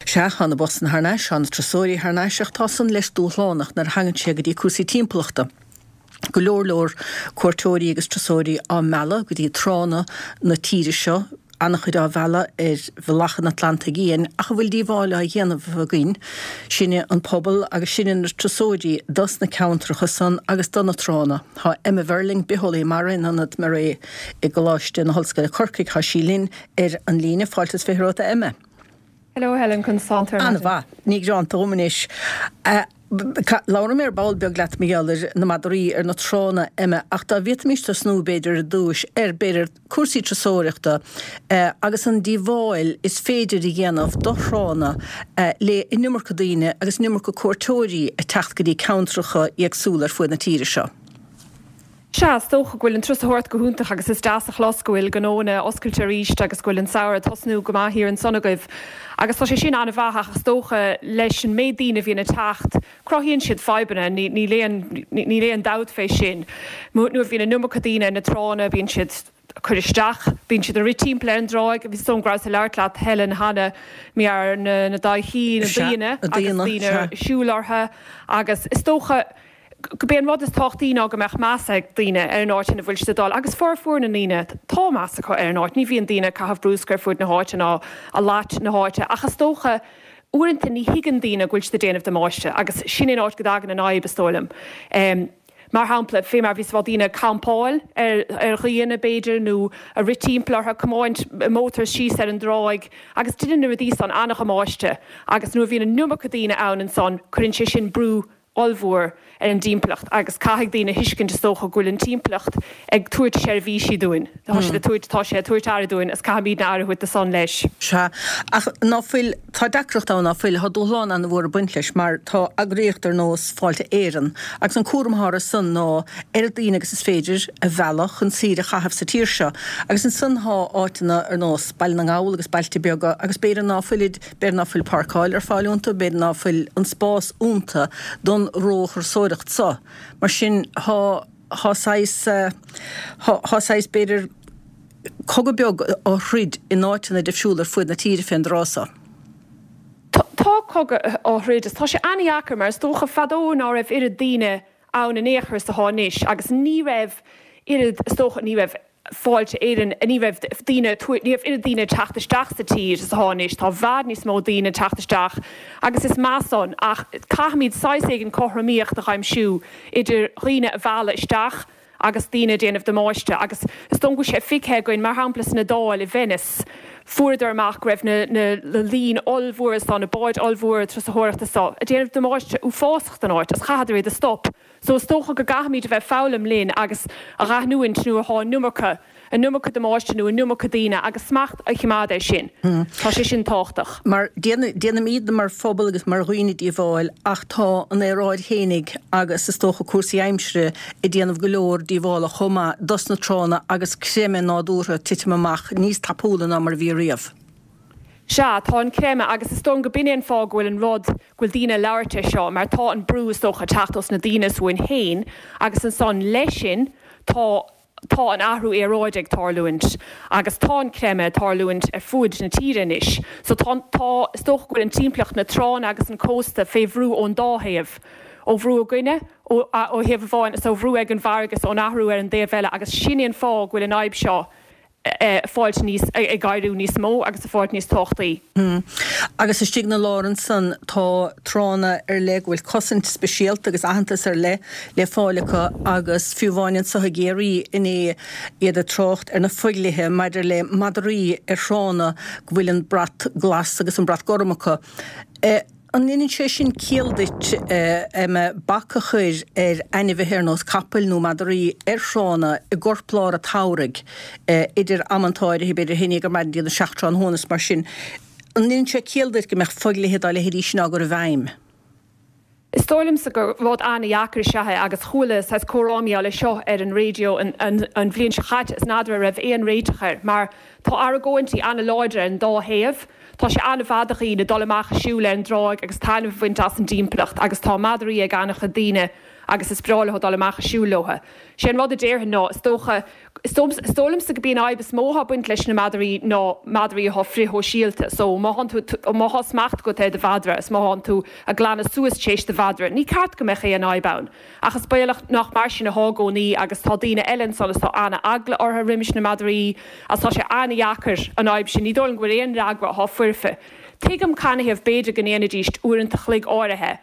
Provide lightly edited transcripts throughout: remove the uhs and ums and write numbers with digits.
Sea, tá na busanna thar n-ais, tá na turasóirí thar n-ais ach tá san leis dúshlánach nuair a thagann sé go dtí cúrsaí timpeallachta. Go leor leor cuairteoirí agus turasóirí á mealladh go dtí tránna na tíre seo, an-chuid á mhealladh ar bhealach an Atlantaigh Fhiáin, ach an bhfuil díobháil á dhéanamh againn, sinne an pobal agus sinne na turasóirí, dos na ceantracha san agus do na tránna? Tá Emma Verling, bitheolaí mara in Ionad MaREI i gColáiste na hOllscoile Corcaigh, tá sí linn ar an líne. Fáilte is 20 romhat a Emma. Hello Helen, conas tánn tú ar maidin? An-mhaith, ní gearánta dhom anois. Labhróidh mé ar ball beag leat mar gheall ar na madraí ar na tránna, Emma, ach dá bhféadfaimis tosnú, b'fhéidir, ar dtúis ar, b'fhéidir, cúrsaí turasóireachta agus an díobháil is féidir a dhéanamh do thránna le an iomarca daoine agus an iomarca cuairteoirí ag teacht go dtí ceantracha éagsúla ar fuaid na tíre seo. Sea, is dócha go bhfuil an turasóireacht go hiontach agus is deas a chlos go bhfuil gnóanna oscailte arís agus go bhfuil an samhradh ag tosnú go maith thiar ansan agaibh agus tá sé sin an-mhaith ach is dócha leis an méid daoine a bhíonn ag teacht, cruthaíonn siad fadhbanna, níl aon, níl aon dabht fé sin. Nuair a bhíonn an iomarca daoine ar na tránna bíonn siad ag cur isteach, bíonn siad ag rith timpeall ar an dtráigh, is dóigh liom go rabhas ag labhairt leat Helen cheana, mar na daoine, na daoine agus daoine ag siúl orthu agus is dócha, Gurb é an rud is tábhachtaí ná go mbeadh meas ag daoine ar an áit ina bhfuil siad ag dul agus formhór na ndaoine, tá meas acu ar an áit. Ní bhíonn daoine ag caitheamh brúscair ar fuaid na háite ná ag leacht na háite ach is dócha uaireanta ní thuigeann daoine go bhfuil siad ag déanamh damáiste agus sin é an áit go dtagann an fhadhb is dóigh liom. Mar shampla, fé mar a bhíos ag rá daoine ag campáil ar ar ghaothanna b'fhéidir nó ag rith timpeall orthu, ag tiomáint mótars síos ar an dtráigh agus deineann na rudaí san an-dhamáiste agus nuair a bhíonn an iomarca daoine ann ansan cuireann sé sin brú ollmhór ar an dtimpeallacht agus caithfidh daoine a thuiscint is dócha go bhfuil an timpeallacht ag tabhairt seirbhísí dúinn. Tá siad ag tabhairt, tá sé ag tabhairt aire dúinn is caithfimidne aire a thabhairt do san leis. Sea, ach ná fuil, tá deacracht ann ná fuil, tá dúshlán an-mhór ag baint leis mar tá eagraíocht ar nós Fáilte Éireann agus an cúram atá orthu san ná oiread daoine agus is féidir a mhealladh chun saoire a chaitheamh sa tír seo agus ansan tá áiteanna ar nós Baile na nGall agus bailte beaga agus b'fhéidir ná fuilid B'fhéidir ná fuil páirceáil ar fáil iontu, b'fhéidir ná fuil an spás iontu don róthurasóireacht so. Mar sin, thá, thá saghas, thá, thá saghas, b'fhéidir, cogadh beag á throid in áiteanna difriúla ar fuaid na tíre fén dtráth so. Tá, tá cogadh á throid is tá sé an-dheacair mar is dócha fadó ná raibh oiread daoine ann in aon chor is atá anois agus ní raibh oiread, is dócha, ní raibh. Fáilte Éireann, ní raibh daoine, ní raibh oiread daoine ag teacht isteach sa tír is atá anois, tá i bhfad níos mó daoine ag teacht isteach agus is maith san ach caithfimid saghas éigin cothromaíocht a aimsiú idir dhaoine a mhealladh isteach agus daoine ag déanamh damáiste agus is dóigh go bhfuil sé feicthe againn mar shampla san Iodáil i Venice fuaireadar amach go raibh na na loing ollmhóra so, na báid ollmhóra turasóireachta so ag déanamh damáiste uafásach don áit agus chaitheadar iad a stop. So is dócha go gcaithfimid a bheith ag foghlaim linn agus a dh'aithniúint nuair atá an iomarca, an iomarca damáiste nó an iomarca daoine agus smacht a choimeád air sin. Tá sé sin tábhachtach. Mar déanaimidne mar phobal agus mar dhaoine díobháil ach tá an aeráid fhéinig agus is dócha cúrsaí aimsire ag déanamh go leor díobhála chomh maith dos na tránna agus creimeadh nádúrtha ag titim amach níos tapúla ná mar a bhí riamh. Sea, tá an creimeadh, agus is dóigh liom go b'in é an fáth go bhfuil an rud, go bhfuil daoine ag labhairt air seo, mar tá an brú, is dócha, ag teacht ós na daoine is uainn féin, agus ansan, leis sin, tá, tá an athrú aeráide ag tarlúint, agus tá an creimeadh ag tarlúint ar fuaid na tíre anois. So tá, tá, is dócha go bhfuil an timpeallacht, na tránna agus an cósta fé bhrú ón dá thaobh, ó bhrú againne, ó, ó thaobh amháin, is ó bhrú ag an bhfarraige is ón athrú ar an dtaobh eile, agus sin é an fáth go bhfuil an fhadhb seo ag fáilt níos, ag éiriú níos mó agus ag fáilt níos tábhachtaí. Agus istigh 'na lár ansan tá tránna ar leith go bhfuil cosaint speisialta agus aitheantas ar leith le fáil acu agus fiú amháin anso i gCiarraí inné iad ag trácht ar na fodhlíthe maidir le madraí ar thránna go bhfuil an brat glas agus an brat gorm acu. An ndeineann sé sin ciall duit, Emma, bac a chur ar ainmhithe ar nós capaill nó madraí ar thránna i gcorplár an tsamhraidh, idir amanta áirithe, b'fhéidir a haon déag ar maidin go dtí a 7 tráthnóna is mar sin. An ndeineann sé ciall duit go mbeadh fodhlíthe dá leithéidí sin á gcur i bhfeidhm? Is dóigh liomsa gur rud an-dheacair is ea é agus chuala saghas comhrá mar gheall air seo ar an raidió an bhliain seo chaite is n'fheadar an raibh aon réiteach air mar tá argóintí an-láidir ar an dá thaobh. Tá sé an-mhaith do dhaoine dul amach ag siúl ar an dtráigh agus taitneamh a bhaint as an dtimpeallacht agus tá madraí ag an-chuid daoine. agus is breá leo dul amach ag siúl leo. Sé an rud a déarfainn ná, is dócha, is dóigh liomsa go b'í an fhadhb is mó atá ag baint leis na madraí ná madraí atá frithshóisialta. So má thánn tú, má thá smacht agat ar do mhadra is má thánn tú ag glanadh suas tar éis do mhadra, ní ceart go mbeadh aon fhadhb ann. Ach is baolach nach mar sin athá i gcónaí agus tá daoine eile ansan is tá ana-eagla orthu roimis na madraí agus tá sé ana-dheacair an fhadhb sin, ní dóigh liom go bhfuil aon fhreagra athá foirfe. Tuigim canathaobh b'fhéidir go ndéanfaidíst uaireanta chloig áirithe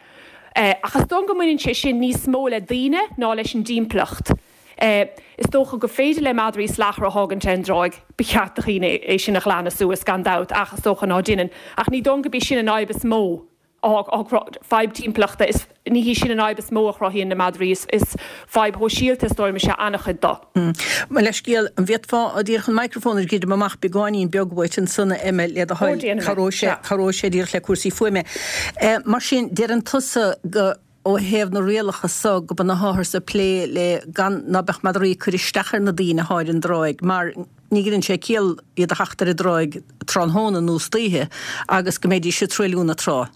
ach is dóigh liom go mbaineann sé sin níos mó le daoine ná leis an dtimpeallacht. Is dócha gur féidir le madraí salachar a thágaint ar an dtráigh, ba cheart do dhaoine é sin a ghlanadh suas gan dabht ach is dócha ná deineann. Ach ní dóigh liom go b'í sin an fhadhb is mó. Fadhb timpeallachta, is ní hí sin an fhadhb is mó a chruthaíonn na madraí, is fadhb shóisialta is dóigh liom is ea an-chuid de. Mo leithscéal, an bhféadfá díreach an microphone a dhruidim amach beagáinín beag uait ansan, a Emma, le do thoil, cabhróidh sé, cabhróidh sé díreach le cúrsaí fuaime. Mar sin, deireann tusa go. ó thaobh na rialacha so go b'ionann atháthar ag plé le gan ná beadh madraí ag cur isteach ar na daoine athá ar an dtráigh mar ní dheineann sé ciall iad a theacht ar an dtráigh tráthnóna nó istoíche agus go mbeidís ag truailliú na trá.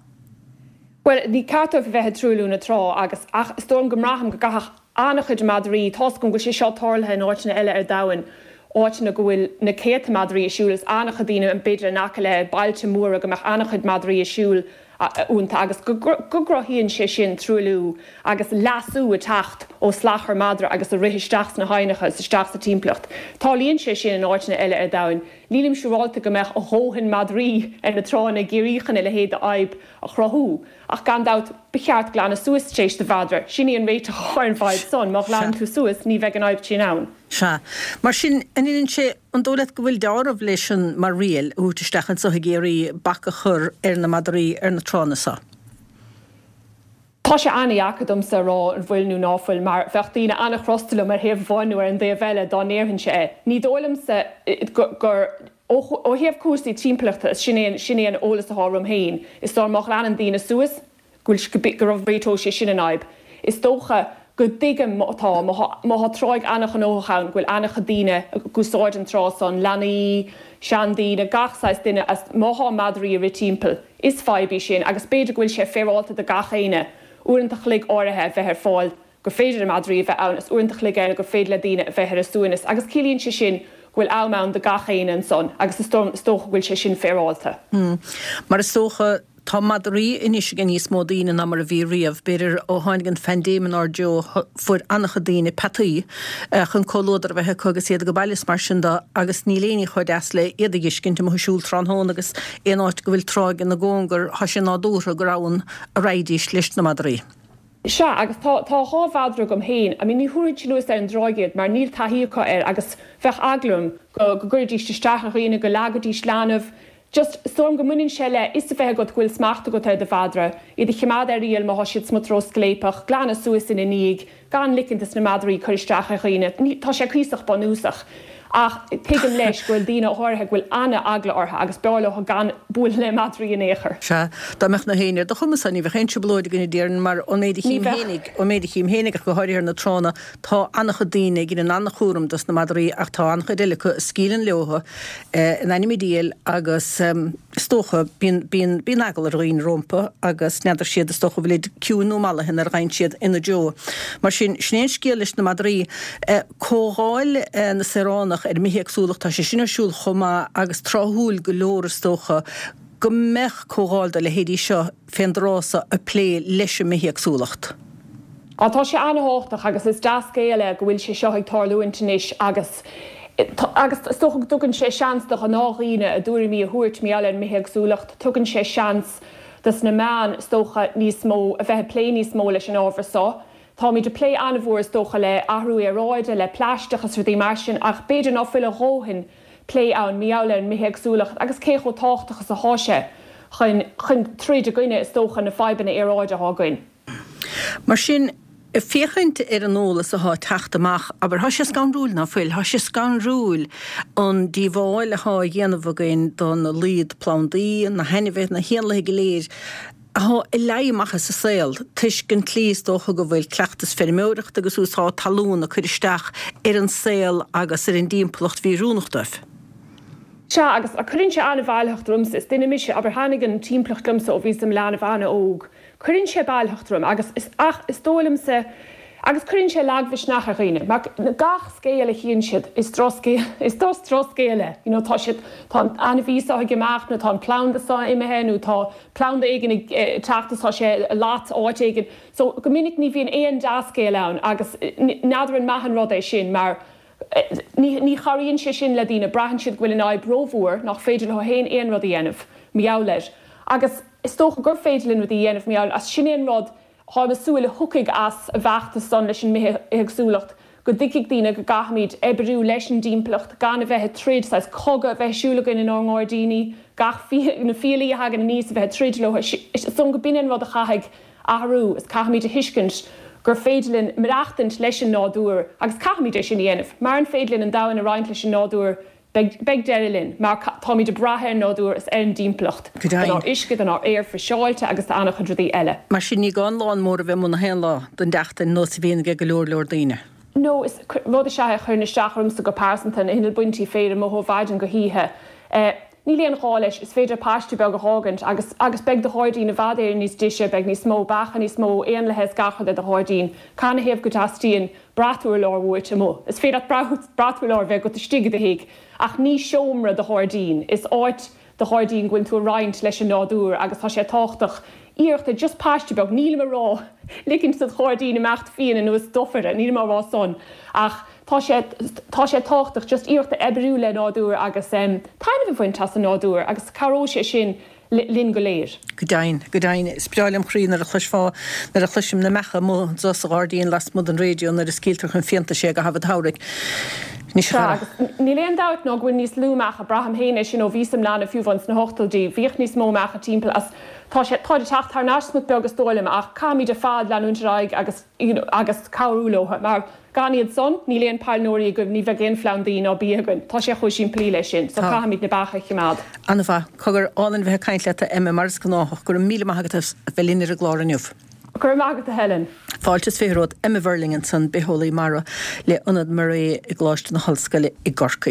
Bhuel, ní ceart dóibh a bheith ag truailliú na trá agus, ach is dóigh liom go mbraithim go gcaithfeadh an-chuid madraí, tá's agam go bhfuil sé seo tarlaithe in áiteanna eile ar domhan, áiteanna go bhfuil na céadta madraí ag siúl, is an-chuid daoine b'fhéidir in aice le bailte móra go mbeadh an-chuid madraí ag siúl iontu agus go gcruthaíonn sé sin truailliú agus leasú ag teacht ó shlachar madra agus ag rith isteach sna haibhneacha is isteach sa timpeallacht. Tarlaíonn sé sin in áiteanna eile ar domhan. Nílim siúráilte go mbeadh a dhóthain madraí ar na tránna i gCiarraí chun a leithéid de fhadhb a chruthú. Ach gan dabht, ba cheart glanadh suas tar éis do mhadra. Sin í an réiteach ar an bhfadhb san. Má ghlanann tú suas, ní bheidh an fhadhb sin ann. Sea. Mar sin, an ndeineann sé, an dóigh leat go bhfuil deáramh leis an, mar riail, a thabhairt isteach anso i gCiarraí, bac a chur ar na madraí ar na tránna so? Tá sé an-dheacair domsa a rá an bhfuil nó ná fuil mar bheadh daoine an-chrosta liom ar thaobh amháin nó ar an dtaobh eile dá ndéarfainnse é. Ní dóigh liomsa gur, ó thaobh cúrsaí timpeallachta, sin é sin é an eolas atá agam féin, is dóigh má ghlanann daoine suas, go bhfuil, go réiteoidh sé sin an fhadhb. Is dócha go dtuigim má tá, má tá tráigh an-ghnóthach ann, go bhfuil an-chuid daoine ag úsáid an trá san, leanaí, seandaoine, gach saghas duine, as má thá madraí ag rith timpeall. Is fadhb í sin agus b'fhéidir go bhfuil sé féaráilte do gach éinne uaireanta a chloig áirithe a bheith ar fáil gur féidir le madraí a bheith ann is uaireanta a chloig eile gur féidir le daoine a bheith ar a suaimhneas agus ciallaíonn sé sin go bhfuil am ann do gach éinne ansan agus is dócha go bhfuil sé sin féaráilte. Mar is dócha Tá madraí anois ag níos mó daoine ná mar a bhí riamh. B'fhéidir ó tháinig an phaindéim inár dtreo fuair an-chuid daoine peataí chun comhluadar a bheith acu agus iad ag baile is mar sin de agus níl aon ní chomh deas le iad a dh'fheiscint amuigh ag siúl tráthnóna agus aon áit go bhfuil tráigh ina gcóngar thá sé nádúrtha gur ann a raghaidís leis na madraí. Sea, agus tá, tá 2 mhadra agam féin. I mean, ní thabharfainnse anuas ar an dtráigh iad mar níl taithí acu air agus bheadh eagla orm go, go gcuirfidís isteach ar dhaoine, go leagfaidís leanbh. Just, is dóigh liom go mbaineann sé le fhios a bheith agat go bhfuil smacht agat ar do mhadra, iad a chimeád ar iall má thá siad smut ró-scléipeach, glanadh suas ina ndiaidh, gan licint dos na madraí cur isteach ar dhaoine. Ní, tá sé cuíosach bunúsach. Ach tuigim leis go bhfuil daoine áirithe go bhfuil ana-eagla orthu agus b'fhearr leo gan bualadh le madraí in aon chor. Sea, dá mbeadh na héinne ar do chumas-sa, ní bheadh aon trioblóid againn a déarfainn, mar ón méid a Ní chím bheadh. fhéinig, ón méid a chím fhéinig ach go háirithe ar na tránna, tá an-chuid daoine ag déanamh an-chúram dos na madraí ach tá an-chuid eile acu a scaoileann leothu in ainm an diabhail agus is dócha, bíonn, bíonn, bíonn eagla ar dhaoine rompu agus n'fheadar siad is dócha an bhfuilid ciúin nó mallaithe nuair a ghabhann siad ina dtreo. Mar sin, sin é an scéal leis na madraí. Comhdháil na Saoránach ar an mbithéagsúlacht, tá sé sin ar siúl chomh maith agus tráthúil go leor is dócha go mbeadh comhdháil dá leithéidí seo fén dtráth so ag plé leis an mbithéagsúlacht. Á, tá sé an-thábhachtach agus is dea-scéal é go bhfuil sé seo ag tarlúint anois agus agus is dócha go dtugann sé seans do ghnáthdhaoine a dtuairimí a thabhairt mar gheall ar an mbithéagsúlacht. Tugann sé seans dos na meáin is dócha níos mó, a bheith ag plé níos mó leis an ábhar seo. Táimid ag plé an-mhór is dócha le athrú aeráide, le plaisteach is rudaí mar sin ach b'fhéidir ná fuil a dhóthain plé ann mar gheall ar an mbithéagsúlacht agus cé chomh tábhachtach is athá sé chun chun troid i gcoinne is dócha na fadhbanna aeráide athá againn. Mar sin, ag féachaint ar an eolas athá ag teacht amach, abair, thá sé scanrúil, ná fuil? Thá sé scanrúil an díobháil athá á dhéanamh againn don laghad plandaí, na hainmhithe, na héanlaithe go léir athá ag leí amach as an saol, toisc an tslí is dócha go bhfuil cleachtas feirmeoireachta agus úsáid talún ag cur isteach ar an saol agus ar an dtimpeallacht mhí-oiriúnach dóibh. Sea, agus cuireann sé an-mhealltacht ormsa. Is duine mise, abair, thaitnigh an timpeallacht liomsa ó bhíos i mo leanbh an-óg. Cuireann sé mealltacht orm agus is, ach is dóigh liomsa. Agus cuireann sé lagmhisneach ar dhaoine, mar gach scéal a chíonn siad, is drochscéal, is drochscéal é. You know, tá siad, tá an ainmhí seo ag imeacht nó tá an planda seo imithe nó tá planda éigin ag teacht is tá sé ag lot áit éigin. So, go minic ní bhíonn aon dea-scéal ann agus n'fheadar an maith an rud é sin mar ní, ní chabhraíonn sé sin le daoine, braitheann siad go bhfuil an fhadhb rómhór, nach féidir leo féin aon rud a dhéanamh mar gheall air. Agus is dócha gur féidir linn rudaí a dhéanamh mar gheall, as sin é an rud, Táim ag súil a thiocfaidh as an bhfeachtas san leis an mbithéagsúlacht, go dtuigfidh daoine go gcaithfimid oibriú leis an dtimpeallacht, gan a bheith ag troid, saghas cogadh a bheith ar siúl againn inár ngairdíní, gach na fiailí a thagann aníos a bheith ag troid leo, is dóigh go b'in é an rud a chaithfidh athrú, is caithfimid a thuiscint gur féidir linn maireachtaint leis an nádúr agus caithfimid é sin a dhéanamh. Maran féidir linn an domhan a roinnt leis an nádúr, Beidh deireadh linn, mar táimid ag brath ar an nádúr is ar an dtimpeallacht, donár uisce, donár aer friseáilte agus d'an-chuid rudaí eile. Mar sin, ní gá an lawn mór a bheith amuigh na haon lá don tseachtain, nós a bhíonn ag go leor leor daoine. No, is rud is ea é a chuireann isteach ormsa go pearsanta, na hinnill baintí féir amuigh ó mhaidin go hoíche. Níl aon ghá leis, is féidir paiste beag a dh'fhágaint agus agus beidh do ghairdín i bhfad Éireann níos deise, beidh níos mó beacha, níos mó éanlaithe is gach rud ar do ghairdín. Canathaobh go dteastaíonn brat urláir uait amuigh. Is féidir leat brat urláir a bheith agat istigh i do thigh, ach ní seomra do ghairdín. Is áit do ghairdín go bhfuil tú ag roinnt leis an nádúr agus tá sé tábhachtach iarracht a just paiste beag, nílim ag rá ligint do ghairdín imeacht fiáin anuas dufair, nílim á rá san, ach tá sé tá sé tábhachtach just iarracht a oibriú le nádúr agus taitneamh a bhaint as an nádúr agus cabhróidh sé sin linn go léir. Go deimhin, go deimhin. Is breá lem chroí nuair a chloisfeá, nuair a chloisim na beacha amuigh anso sa ghairdín lasmuigh den raidió nuair a scaoiltear chun fiántais é i gcaitheamh an tsamhraidh. Anois a Sea, chara. agus níl aon dabht ná go bhfuil níos lú mbeacha, braithim féin é sin ó bhíos im leanbh fiú amháin sna hochtóidí, bhíodh níos mó mbeacha timpeall as tá sé, táid ag teacht thar n-ais smut beag is dóigh liom ach caithfimid ar fad leanúint ar aghaidh agus, you know, agus cabhrú leo mar gan iad san, níl aon pailneoirí againn, ní bheidh aon phlandaí ná bia againn. Tá sé chomh simplí leis sin, so caithfimid na beacha a choimeád. An-mhaith. Cogar, álainn bheith ag caint leat, a Emma, mar is gnáthach. Go raibh míle maith agat as bheith linn ar an gclár inniu. Go raibh maith agat, a Helen. Fáilte is 20 romhat. Emma Verling ansan, bitheolaí mara le Ionad MARE i gColáiste na hOllscoile i gCorcaigh.